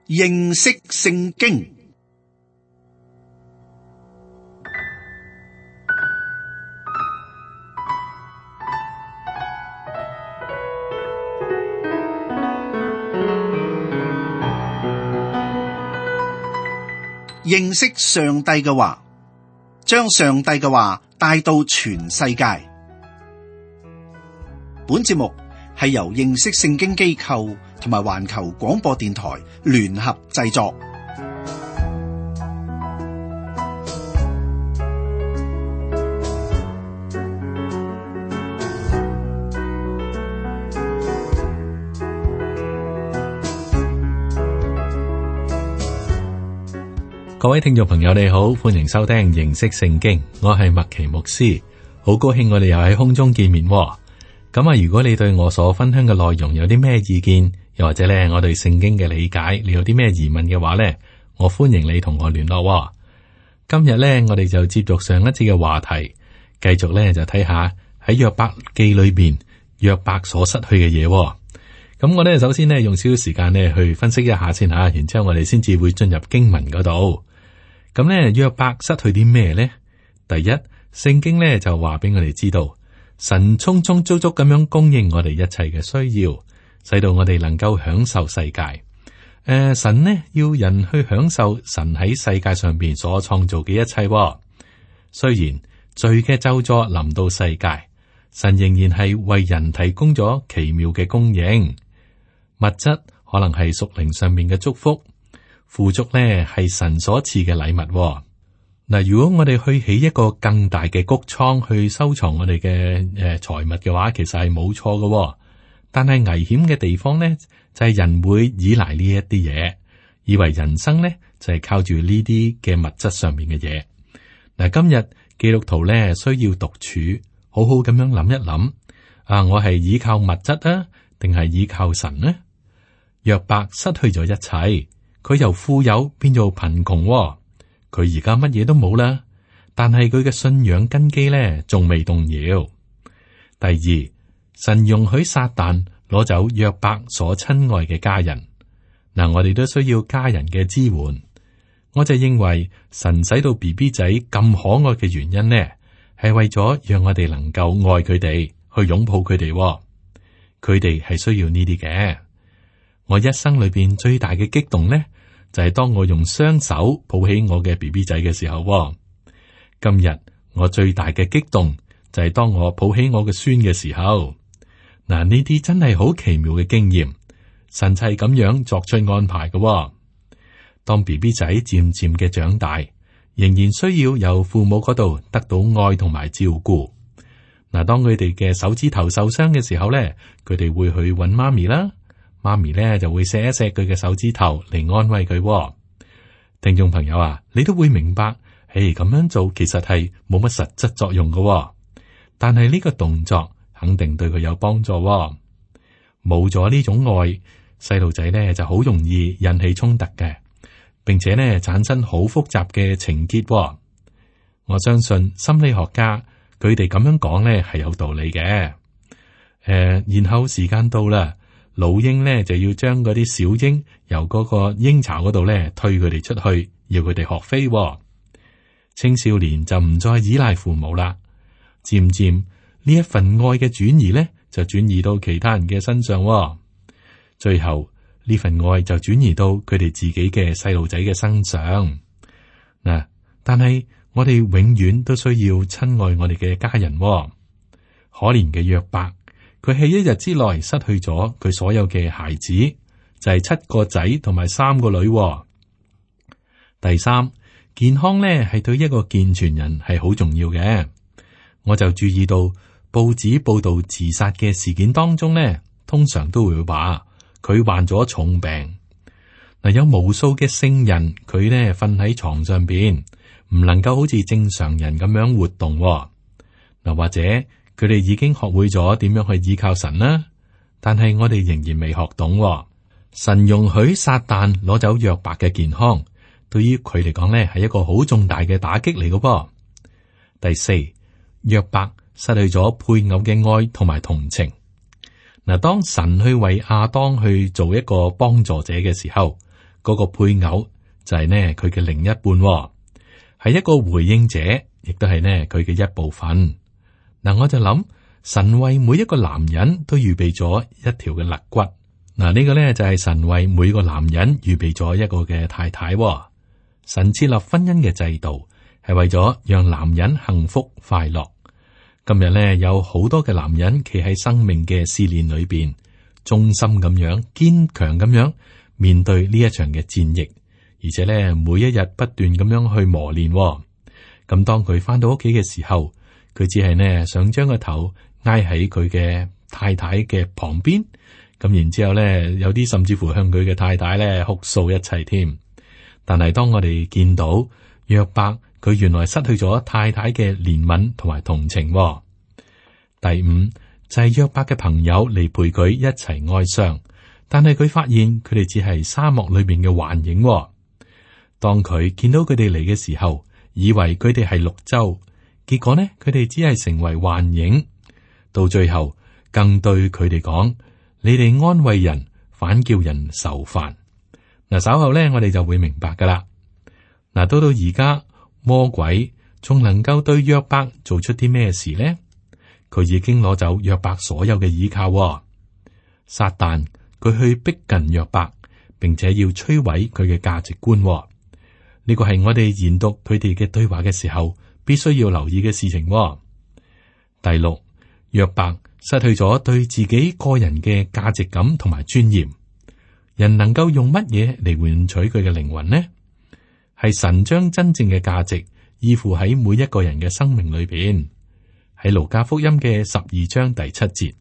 認識聖經。認識上帝嘅話，將上帝嘅話帶到全世界。本節目係由認識聖經機構同埋環球廣播電台聯合製作。各位聽眾朋友你好，歡迎收聽認識聖經，我係麥奇牧師，好高興我哋又喺空中見面。咁啊，如果你對我所分享嘅內容有啲咩意見，又或者咧我對聖經嘅理解，你有啲咩疑問嘅話咧，我歡迎你同我聯絡。今日咧我哋就接續上一次嘅話題，繼續咧就睇下喺約伯記裏邊約伯所失去嘅嘢。咁我咧首先咧用少少時間咧去分析一下先吓，然之後我哋先至會進入經文嗰度。咁咧約伯失去啲咩呢？第一，聖經咧就話俾我哋知道，神充充足足咁樣供應我哋一切嘅需要，使到我哋能夠享受世界。神呢要人去享受神喺世界上邊所創造嘅一切。雖然罪嘅咒詛臨到世界，神仍然係為人提供咗奇妙嘅供應。物質可能係屬靈上面嘅祝福，富足呢係神所賜嘅禮物。嗱，如果我哋去起一個更大嘅谷倉去收藏我哋嘅財物嘅話，其實係冇錯嘅。但係危險嘅地方呢，就係人會依賴呢一啲嘢，以為人生呢就係靠住呢啲嘅物質上面嘅嘢。嗱，今日基督徒呢需要獨處，好好咁樣諗一諗，我係依靠物質啊，定係依靠神呢？約伯失去咗一切，佢由富有變做貧窮，佢而家乜嘢都冇啦。但係佢嘅信仰根基咧，仲未動搖。第二，神容許撒旦攞走約伯所親愛嘅家人。嗱，我哋都需要家人嘅支援。我就認為神使到 BB 仔咁可愛嘅原因呢，係為咗讓我哋能夠愛佢哋，去擁抱佢哋。佢哋係需要呢啲嘅。我一生裏邊最大嘅激動呢，就係當我用雙手抱起我嘅 BB 仔嘅時候。今日我最大嘅激動就係當我抱起我嘅孫嘅時候。嗱，呢啲真係好奇妙嘅經驗，神就係咁樣作出安排嘅。當 BB 仔漸漸嘅長大，仍然需要由父母嗰度得到愛同埋照顧。嗱，當佢哋嘅手指頭受傷嘅時候咧，佢哋會去揾媽咪啦。媽咪咧就會錫一錫佢嘅手指頭嚟安慰佢。聽眾朋友啊，你都會明白，咁樣做其實係冇乜實質作用嘅，但係呢個動作肯定對佢有幫助。冇咗呢種愛，細路仔咧就好容易引起衝突嘅，並且咧產生好複雜嘅情結。我相信心理學家佢哋咁樣講咧係有道理嘅。然後時間到啦。老鷹咧就要將嗰啲小鷹由嗰個鷹巢嗰度咧推佢哋出去，要佢哋學飛。青少年就唔再依賴父母啦，漸漸呢一份愛嘅轉移咧就轉移到其他人嘅身上。最後呢份愛就轉移到佢哋自己嘅細路仔嘅身上。嗱，但係我哋永遠都需要親愛我哋嘅家人。可憐嘅約伯。佢喺一日之內失去咗佢所有嘅孩子，就係7個仔同埋3個女。第三，健康咧係對一個健全人係好重要嘅。我就注意到報紙報道自殺嘅事件當中咧，通常都會話佢患咗重病。嗱，有無數嘅聖人，佢咧瞓喺床上邊，唔能夠好似正常人咁樣活動。嗱，或者。佢哋已經學會咗點樣去依靠神啦，但係我哋仍然未學懂。神容許撒旦攞走約伯嘅健康，對於佢嚟講咧係一個好重大嘅打擊嚟嘅。第四，約伯失去咗配偶嘅愛同埋同情。嗱，當神去為亞當去做一個幫助者嘅時候，嗰個配偶就係呢佢嘅另一半喎，係一個回應者，亦都係呢佢嘅一部分。嗱，我就諗神為每一個男人都預備咗一條嘅肋骨。嗱，呢個呢就係神為每個男人預備咗一個嘅太太喎。神設立婚姻嘅制度係為咗讓男人幸福快樂。今日呢，有好多嘅男人企喺生命嘅試煉裏邊，忠心咁樣、堅強咁樣面對呢一場嘅戰役，而且呢，每一日不斷咁樣去磨練喎。咁當佢翻到屋企嘅時候，佢只係呢想將個頭挨喺佢嘅太太嘅旁邊。咁然之後咧，有啲甚至乎向佢嘅太太咧哭訴一切添。但係當我哋見到約伯，佢原來失去咗太太嘅憐憫同埋同情喎。第五就係約伯嘅朋友嚟陪佢一齊哀傷，但係佢發現佢哋只係沙漠裏面嘅幻影喎。當佢見到佢哋嚟嘅時候，以為佢哋係綠洲，結果呢，佢哋只係成為幻影。到最後，更對佢哋講：你哋安慰人，反叫人愁煩。嗱，稍後咧，我哋就會明白噶啦。嗱，到而家，魔鬼仲能夠對約伯做出啲咩事呢？佢已經攞走約伯所有嘅依靠喎。撒旦佢去逼近約伯，並且要摧毀佢嘅價值觀喎。呢個係我哋研讀佢哋嘅對話嘅時候，必須要留意嘅事情喎。第六，約伯失去咗對自己個人嘅價值感同埋尊嚴。人能夠用乜嘢嚟換取佢嘅靈魂呢？係神將真正嘅價值依附喺每一個人嘅生命裏邊。喺路加福音嘅12章第7節，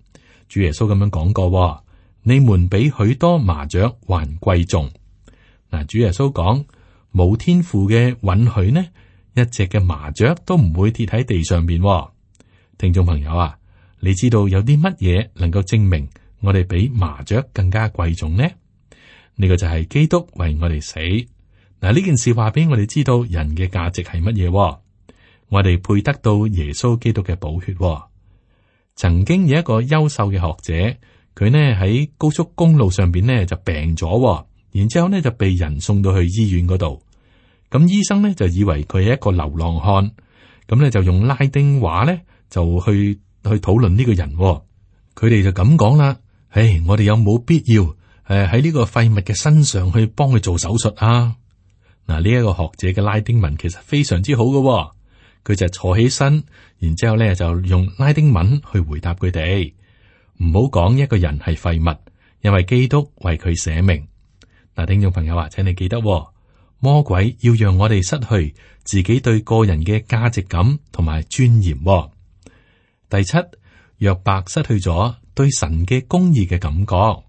主耶穌咁樣講過：你們比許多麻雀還貴重。嗱，主耶穌講，冇天父嘅允許呢，一隻嘅麻雀都唔會跌喺地上邊。聽眾朋友啊，你知道有啲乜嘢能夠證明我哋比麻雀更加貴重呢？呢個就係基督為我哋死。嗱，呢件事話俾我哋知道人嘅價值係乜嘢。我哋配得到耶穌基督嘅寶血。曾經有一個優秀嘅學者，佢呢喺高速公路上邊呢就病咗，然之後呢就被人送到去醫院嗰度。咁醫生呢就以為佢係一個流浪漢，咁呢就用拉丁話呢就去討論呢個人。佢哋就咁講啦：唉，我哋有冇必要喺呢個廢物嘅身上去幫佢做手術啊？嗱，呢一個學者嘅拉丁文其實非常之好嘅。佢就坐起身，然之後咧就用拉丁文去回答佢哋。唔好講一個人係廢物，因為基督為佢捨命。嗱，聽眾朋友啊，請你記得，魔鬼要讓我哋失去自己對個人嘅價值感同埋尊嚴。第七，約伯失去咗對神嘅公義嘅感覺。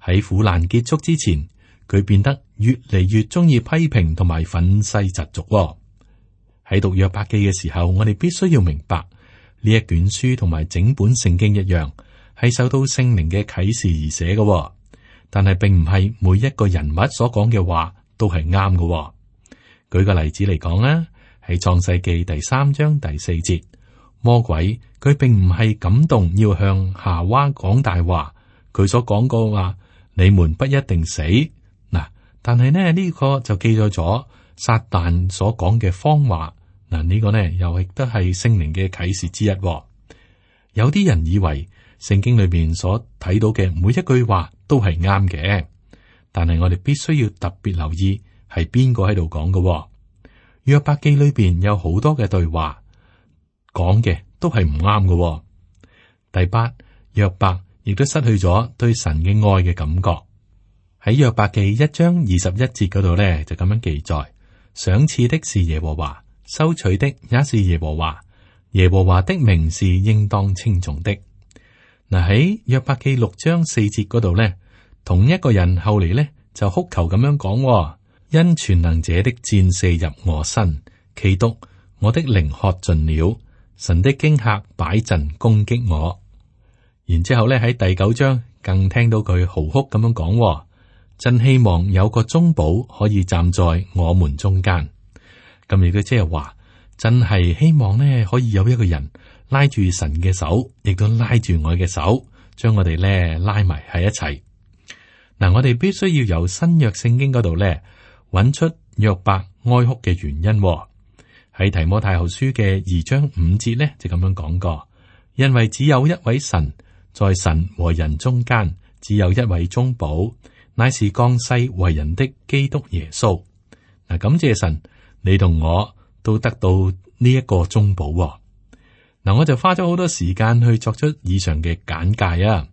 喺苦難結束之前，佢變得越嚟越中意批評同埋憤世嫉俗。喺讀約伯記嘅時候，我哋必須要明白呢一卷書同埋整本聖經一樣，係受到聖靈嘅啟示而寫嘅。但係並唔係每一個人物所講嘅話都係啱嘅。舉個例子嚟講啦，喺創世記第3章第4節，魔鬼佢並唔係感動要向夏娃講大話，佢所講過話，你們不一定死嗱。但係呢個就記載咗撒旦所講嘅謊話。嗱，呢個呢又亦都係聖靈嘅啟示之一。有啲人以為聖經裏邊所睇到嘅每一句話都係啱嘅，但係我哋必須要特別留意係邊個喺度講嘅。約伯記裏邊有好多嘅對話講嘅都係唔啱嘅。第八，約伯亦都失去咗對神嘅愛嘅感覺。喺約伯記1章21節嗰度呢，就咁樣記載：賞賜的是耶和華，收取的也是耶和華，耶和華的名是應當稱頌的。嗱，喺約伯記6章4節嗰度呢，同一個人後嚟呢就哭求咁樣講：因全能者的箭射入我身，其毒我的靈喝盡了，神的驚嚇擺陣攻擊我。然之後呢喺第9章更聽到佢嚎哭咁樣講：真希望有個中保可以站在我們中間。咁亦都即係話，真係希望呢可以有一個人拉住神嘅手，亦都拉住我嘅手，將我哋呢拉埋喺一齊。嗱，我哋必須要由新約聖經嗰度咧揾出約伯哀哭嘅原因。喺提摩太後書嘅2章5節咧就咁樣講過，因為只有一位神，在神和人中間，只有一位中保，乃是降世為人的基督耶穌。嗱，感謝神，你同我都得到呢一個中保。嗱，我就花咗好多時間去作出以上嘅簡介啊，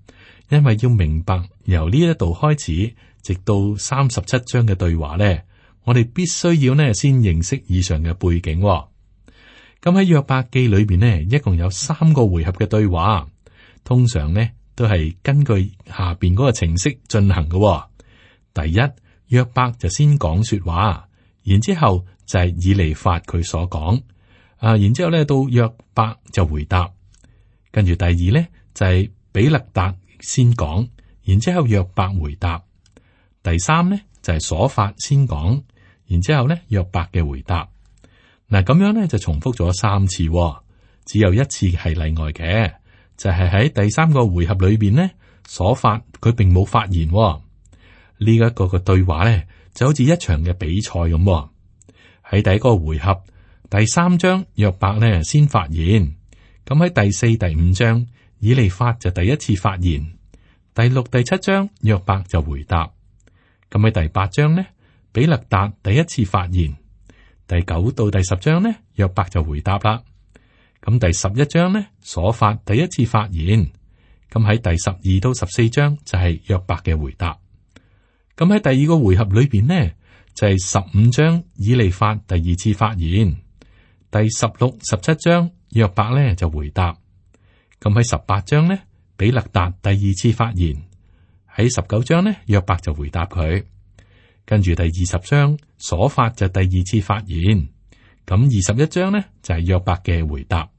因為要明白由呢一度開始，直到37章嘅對話咧，我哋必須要呢先認識以上嘅背景。咁喺約伯記裏邊呢，一共有3個回合嘅對話，通常呢都係根據下邊嗰個程式進行嘅。第一，約伯就先講說話，然之後就係以利法佢所講，然之後咧到約伯就回答，跟住第二咧就係比勒達先講，然之後約伯回答，第三咧就係瑣法先講，然之後咧約伯嘅回答。嗱，咁樣咧就重複咗3次，只有一次係例外嘅，就係喺第3個回合裏邊呢，瑣法佢並冇發言。呢一個嘅對話咧就好似一場嘅比賽咁。喺第1個回合第3章，約伯咧先發言，咁喺第4、第5章，以利法就第一次發言，第6、第7章約伯就回答，咁喺第8章呢，比勒達第一次發言，第9到第10章呢，約伯就回答啦，咁第11章呢，瑣法第一次發言，咁喺第12到14章就係約伯嘅回答，咁喺第2個回合裏邊呢，就係15章以利法第2次發言，第16、17章約伯呢就回答，咁喺18章呢，比勒達第2次發言，喺19章呢，約伯就回答佢，跟住第20章瑣法就第2次發言，咁21章呢就係約伯嘅回答，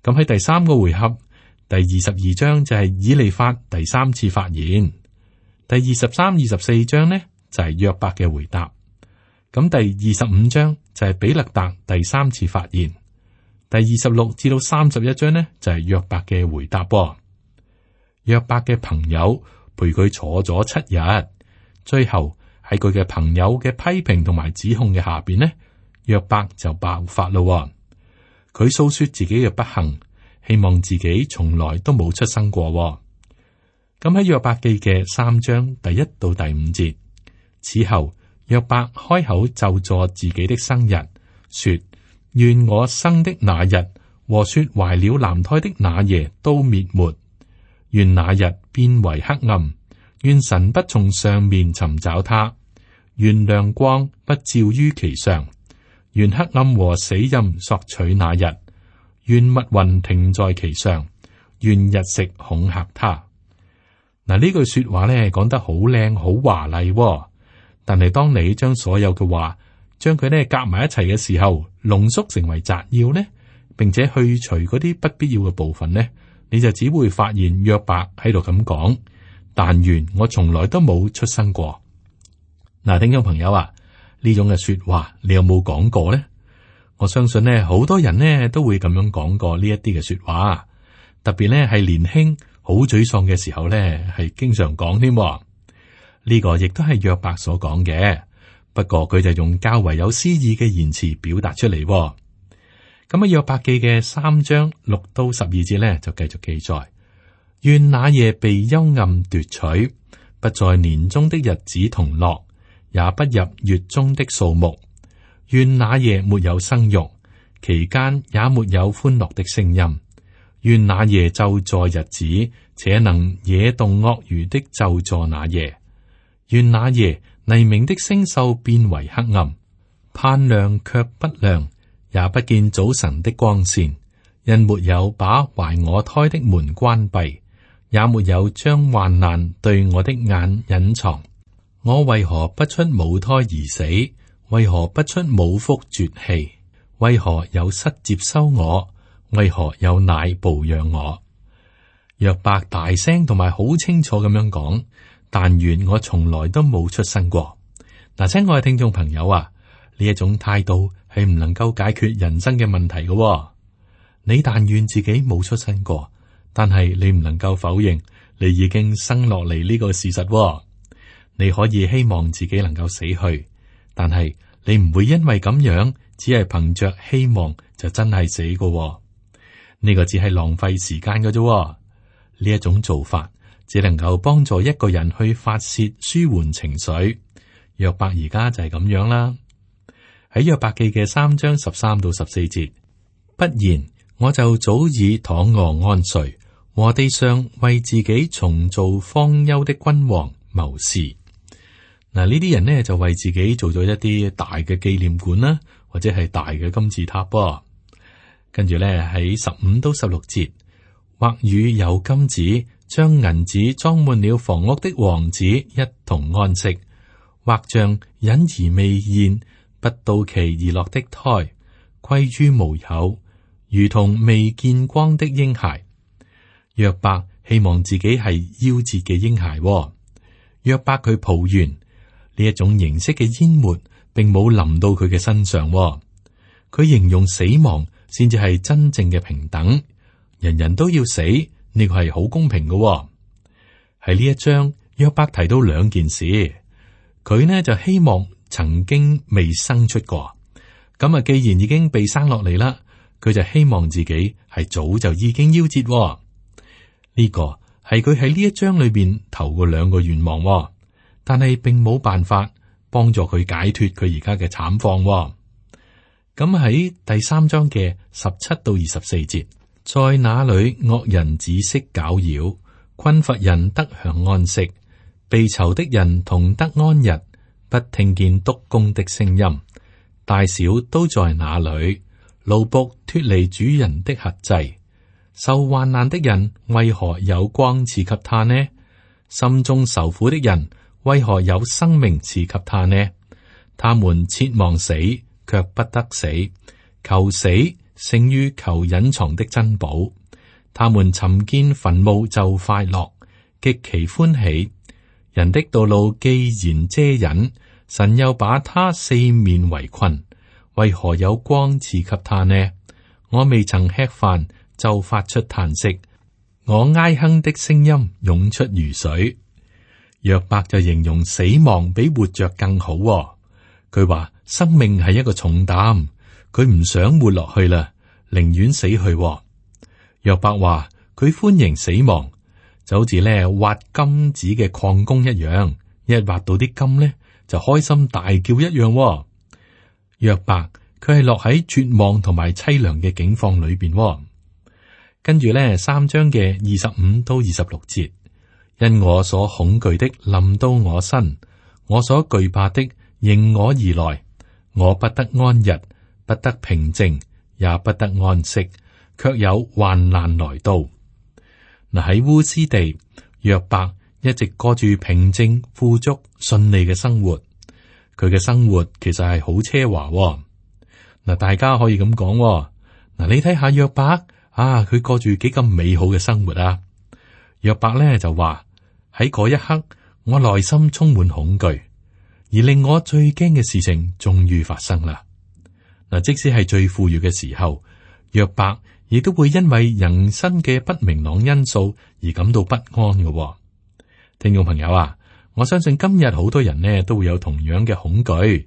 咁喺第3個回合第22章就係以利法第3次發言，第23、24章呢就係約伯嘅回答，咁第25章就係比勒達第3次發言，第26至到31章呢就係約伯嘅回答。約伯嘅朋友陪佢坐咗7日，最後喺佢嘅朋友嘅批評同埋指控嘅下邊呢，約伯就爆發咯。佢訴說自己嘅不幸，希望自己從來都冇出生過。咁喺約伯記嘅3章第1到第5節，此後約伯開口咒詛自己的生日，說：願我生的那日和說懷了男胎的那夜都滅沒，願那日變為黑暗，願神不從上面尋找他，願亮光不照於其上，願黑暗和死蔭索取那日，願密雲停在其上，願日食恐嚇他。嗱，呢句說話咧講得好靚好華麗，但係當你將所有嘅話將佢咧夾埋一齊嘅時候，濃縮成為摘要呢，並且去除嗰啲不必要嘅部分呢，你就只會發現約伯喺度咁講：但願我從來都冇出生過。嗱，聽眾朋友啊，呢種嘅說話你有冇講過呢？我相信呢，好多人呢都會咁樣講過呢一啲嘅說話，特別呢係年輕好沮喪嘅時候呢，係經常講添。呢個亦都係約伯所講嘅，不過佢就用較為有詩意嘅言辭表達出嚟。咁喺約伯記嘅3章6到12節呢，就繼續記載：願那夜被幽暗奪取，不在年中的日子同樂，也不入月中的數目。願那夜沒有生育，期間也沒有歡樂的聲音。願那夜咒詛日子，且能惹動鱷魚的咒詛那夜。願那夜黎明的星宿變為黑暗，盼亮卻不亮，也不見早晨的光線。因沒有把懷我胎的門關閉，也沒有將患難對我的眼隱藏。我為何不出母胎而死？為何不出母腹絕氣？為何有膝接收我？為何有奶哺養我？約伯大聲同埋好清楚咁樣講：但願我從來都冇出生過。嗱，親愛嘅聽眾朋友啊，呢一種態度係唔能夠解決人生嘅問題嘅。你但願自己冇出生過，但係你唔能夠否認你已經生落嚟呢個事實。你可以希望自己能夠死去，但係你唔會因為咁樣，只係憑着希望就真係死㗎。呢個只係浪費時間㗎啫。呢一種做法只能夠幫助一個人去發洩舒緩情緒。約伯而家就係咁樣啦。喺約伯記嘅3章13到14節，不然我就早已躺臥安睡，和地上為自己重造荒丘的君王謀士。嗱，呢啲人呢就為自己做咗一啲大嘅紀念館啦，或者係大嘅金字塔噃。跟住咧喺15到16節，或與有金子將銀子裝滿了房屋的王子一同安息，或像隱而未現不到期而落的胎，歸於無有，如同未見光的嬰孩。約伯希望自己係夭折嘅嬰孩。約伯佢抱怨呢一種形式嘅淹沒並冇臨到佢嘅身上。佢形容死亡先至係真正嘅平等，人人都要死，呢個係好公平嘅。喺呢一章，約伯提到2件事，佢呢就希望曾經未生出過，咁啊，既然已經被生落嚟啦，佢就希望自己係早就已經夭折。呢個係佢喺呢一章裏邊頭嘅2個願望，但係並冇辦法幫助佢解脫佢而家嘅慘況。咁喺第3章嘅17到24節，在那裏惡人止息攪擾，困乏人得享安息，被囚的人同得安逸，不聽見督工的聲音，大小都在那裏，奴僕脫離主人的轄制。受患難的人為何有光賜給他呢？心中受苦的人為何有生命賜給他呢？他們切望死，卻不得死；求死勝於求隱藏的珍寶。他們尋見墳墓就快樂，極其歡喜。人的道路既然遮隱，神又把他四面圍困，為何有光賜給他呢？我未曾吃飯就發出嘆息，我哀哼的聲音湧出如水。約伯就形容死亡比活着更好。佢話生命係一個重擔，佢唔想活落去啦，寧願死去。約伯話佢歡迎死亡，就好似咧挖金子嘅礦工一樣，一挖到啲金咧就開心大叫一樣。約伯佢係落喺絕望同埋淒涼嘅境況裏邊。跟住咧3章嘅25到26節，因我所恐懼的臨到我身，我所懼怕的迎我而來，我不得安逸，不得平靜，也不得安息，卻有患難來到。嗱，喺烏斯地，約伯一直過住平靜、富足、順利嘅生活。佢嘅生活其實係好奢華。嗱，大家可以咁講。嗱，你睇下約伯啊，佢過住幾咁美好嘅生活啊！約伯咧就話喺嗰一刻，我內心充滿恐懼，而令我最驚嘅事情終於發生啦。嗱，即使係最富裕嘅時候，約伯亦都會因為人生嘅不明朗因素而感到不安嘅。聽眾朋友啊，我相信今日好多人呢都會有同樣嘅恐懼，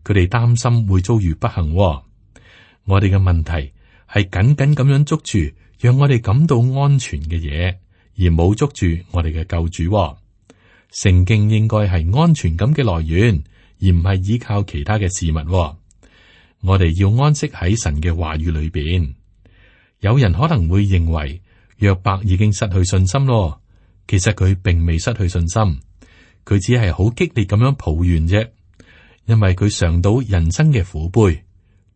佢哋擔心會遭遇不幸。我哋嘅問題係緊緊咁樣捉住讓我哋感到安全嘅嘢，而冇捉住我哋嘅救主。聖經應該係安全感嘅來源，而唔係依靠其他嘅事物。我哋要安息喺神嘅話語裏邊。有人可能會認為約伯已經失去信心咯，其實佢並未失去信心，佢只係好激烈咁樣抱怨啫，因為佢嘗到人生嘅苦杯，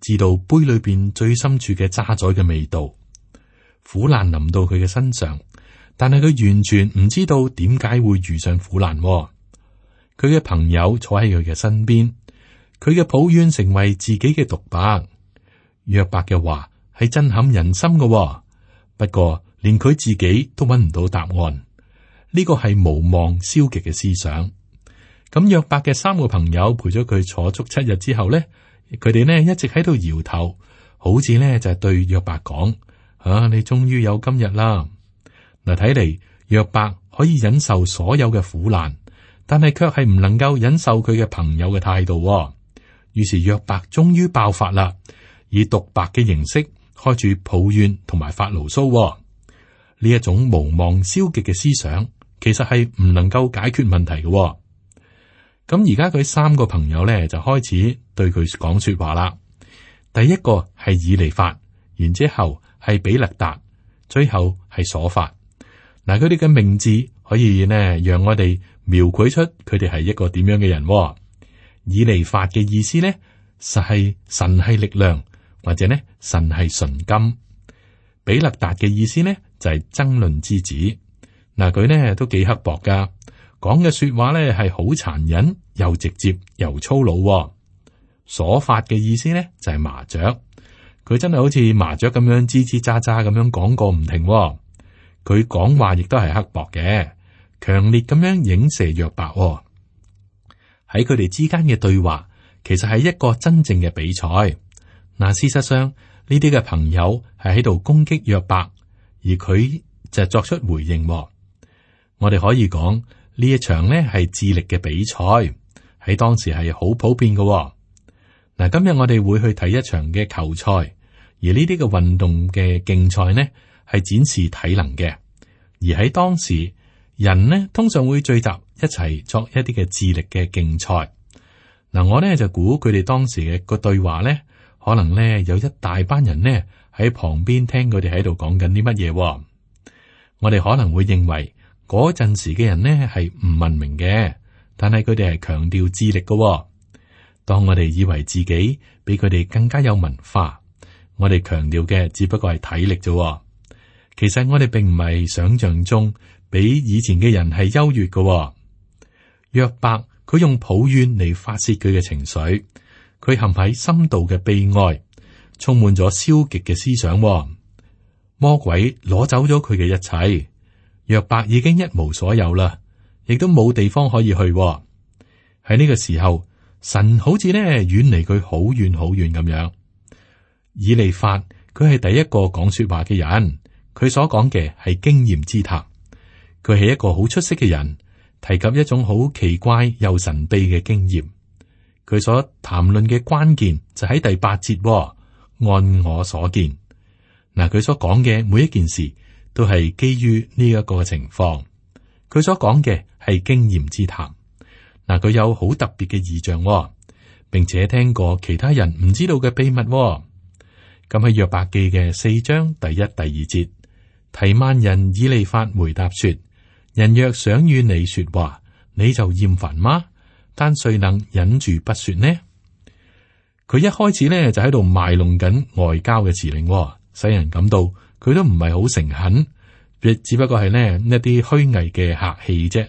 知道杯裏邊最深處嘅渣滓嘅味道。苦難臨到佢嘅身上，但係佢完全唔知道點解會遇上苦難。佢嘅朋友坐喺佢嘅身邊，佢嘅抱怨成為自己嘅獨白。約伯嘅話係震撼人心嘅，不過連佢自己都揾唔到答案。呢個係無望消極嘅思想。咁約伯嘅3個朋友陪咗佢坐足7日之後呢，佢哋呢一直喺度搖頭，好似呢就係對約伯講：你終於有今日啦！嗱，睇嚟約伯可以忍受所有嘅苦難，但係卻係唔能夠忍受佢嘅朋友嘅態度。於是約伯終於爆發啦，以獨白嘅形式開始抱怨同埋發牢騷。呢一種無望消極嘅思想，其實係唔能夠解決問題嘅。咁而家佢三個朋友咧就開始對佢講說話啦。第一個係以利法，然之後係比勒達，最後係瑣法。嗱，佢哋嘅名字可以呢讓我哋描繪出佢哋係一個點樣嘅人。以利法嘅意思呢，實係神係力量，或者呢神係純金。比勒達嘅意思呢就係爭論之子。嗱，佢呢都幾刻薄噶，講嘅說話呢係好殘忍，又直接又粗魯。瑣法嘅意思呢就係麻雀，佢真係好似麻雀咁樣吱吱喳喳咁樣講個唔停。佢講話亦都係刻薄嘅，強烈咁樣影射約伯。喺佢哋之間嘅對話，其實係一個真正嘅比賽。嗱，事實上呢啲嘅朋友係喺度攻擊約伯，而佢就作出回應。我哋可以講呢一場呢係智力嘅比賽，喺當時係好普遍嘅。嗱，今日我哋會去睇一場嘅球賽，而呢啲嘅運動嘅競賽呢係展示體能嘅，而喺當時人呢通常會聚集一齊作一啲嘅智力嘅競賽。嗱，我呢就估佢哋當時嘅個對話呢，可能呢有一大班人呢喺旁邊聽佢哋喺度講緊啲乜嘢。我哋可能會認為嗰陣時嘅人呢係唔文明嘅，但係佢哋係強調智力嘅。當我哋以為自己比佢哋更加有文化，我哋強調嘅只不過係體力啫。其實我哋並唔係想象中比以前嘅人係優越嘅。約伯佢用抱怨嚟發洩佢嘅情緒，佢陷喺深度嘅悲哀，充滿咗消極嘅思想。魔鬼攞走咗佢嘅一切，約伯已經一無所有啦，亦都冇地方可以去。喺呢個時候，神好似呢遠離佢好遠好遠咁樣。以利法佢係第一個講說話嘅人，佢所講嘅係經驗之談。佢係一個好出色嘅人，提及一種好奇怪又神秘嘅經驗。佢所談論嘅關鍵就喺第8節，按我所見。嗱，佢所講嘅每一件事都係基於呢一個情況。佢所講嘅係經驗之談。嗱，佢有好特別嘅異象，並且聽過其他人唔知道嘅秘密。咁喺約伯記嘅4章第1、第2節，提曼人以利法回答說：人若想與你說話，你就厭煩嗎？但誰能忍住不說呢？佢一開始呢就喺度賣弄緊外交嘅辭令，使人感到佢都唔係好誠懇，只不過係呢一啲虛偽嘅客氣啫。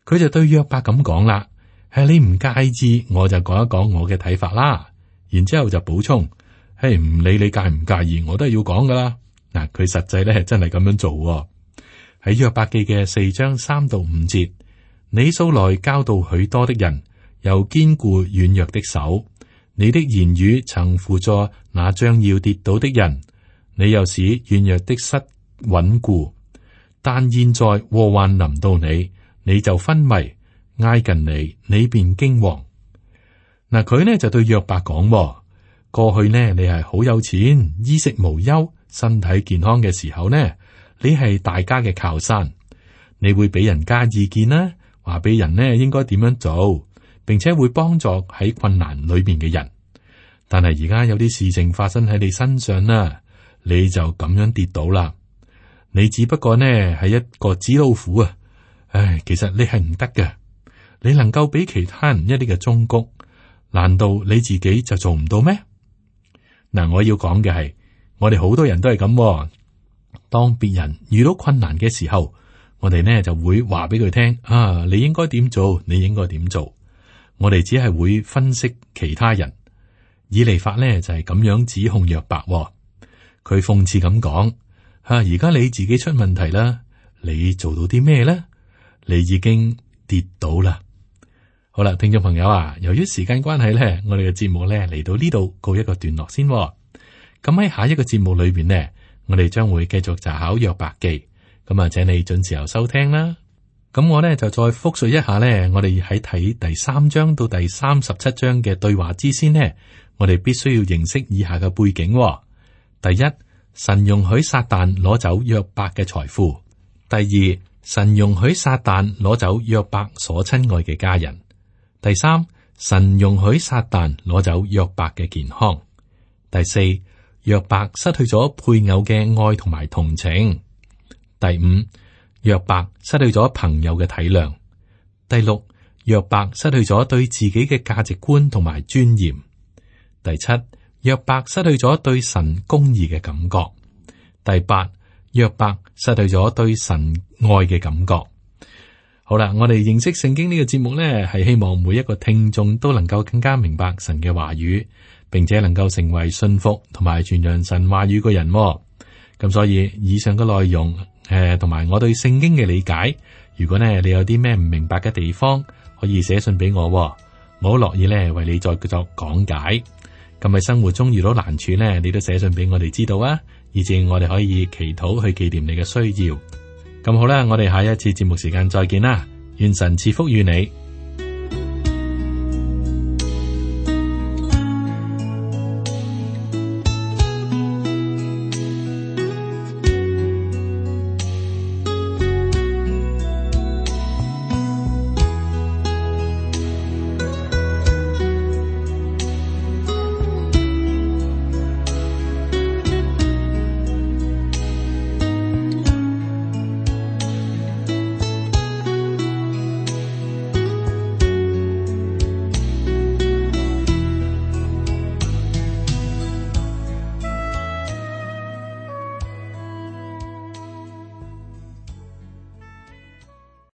佢就對約伯咁講啦：係你唔介意，我就講一講我嘅睇法啦。然之後就補充：係唔理你介唔介意，我都係要講噶啦。嗱，佢實際咧真係咁樣做。喺約伯記嘅4章3到5節，你素來教導許多的人，又堅固軟弱的手。你的言語曾輔助那將要跌倒的人，你又使軟弱的膝穩固。但現在禍患臨到你，你就昏迷，挨近你，你便驚惶。嗱，佢呢就對約伯講：過去呢，你係好有錢，衣食無憂，身體健康嘅時候呢，你係大家嘅靠山，你會俾人加意見啦，話俾人呢應該點樣做，並且會幫助喺困難裏邊嘅人。但係而家有啲事情發生喺你身上啦，你就咁樣跌倒啦。你只不過呢係一個紙老虎啊！唉，其實你係唔得嘅。你能夠俾其他人一啲嘅忠告，難道你自己就做唔到咩？嗱，我要講嘅係，我哋好多人都係咁。當別人遇到困難嘅時候，我哋呢就會話俾佢聽啊，你應該點做，你應該點做。我哋只係會分析其他人。以利法呢就係咁樣指控約伯，佢諷刺咁講：而家你自己出問題啦，你做到啲咩咧？你已經跌倒啦。好啦，聽眾朋友啊，由於時間關係咧，我哋嘅節目咧嚟到呢度告一個段落先。咁喺下一個節目裏邊呢，我哋將會繼續查考約伯記。咁啊，請你準時候收聽啦。咁我呢就再複述一下呢，我哋喺睇第3章到第37章嘅對話之先呢，我哋必須要認識以下嘅背景。第一，神容許撒旦攞走約伯嘅財富；第二，神容許撒旦攞走約伯所親愛嘅家人；第三，神容許撒旦攞走約伯嘅健康；第四，約伯失去咗配偶嘅愛同埋同情；第五，約伯失去咗朋友嘅體諒；第六，約伯失去咗對自己嘅價值觀同埋尊嚴；第七，約伯失去咗對神公義嘅感覺；第八，約伯失去咗對神愛嘅感覺。好啦，我哋認識聖經呢個節目呢，係希望每一個聽眾都能夠更加明白神嘅話語，並且能夠成為信服同埋傳揚神話語嘅人。咁所以以上嘅內容，同埋我對聖經嘅理解，如果呢你有啲咩唔明白嘅地方，可以寫信俾我，我好樂意呢為你再作講解。咁喺生活中遇到難處呢，你都寫信俾我哋知道啊，以至我哋可以祈禱去紀念你嘅需要。咁好啦，我哋下一次節目時間再見啦，願神賜福與你。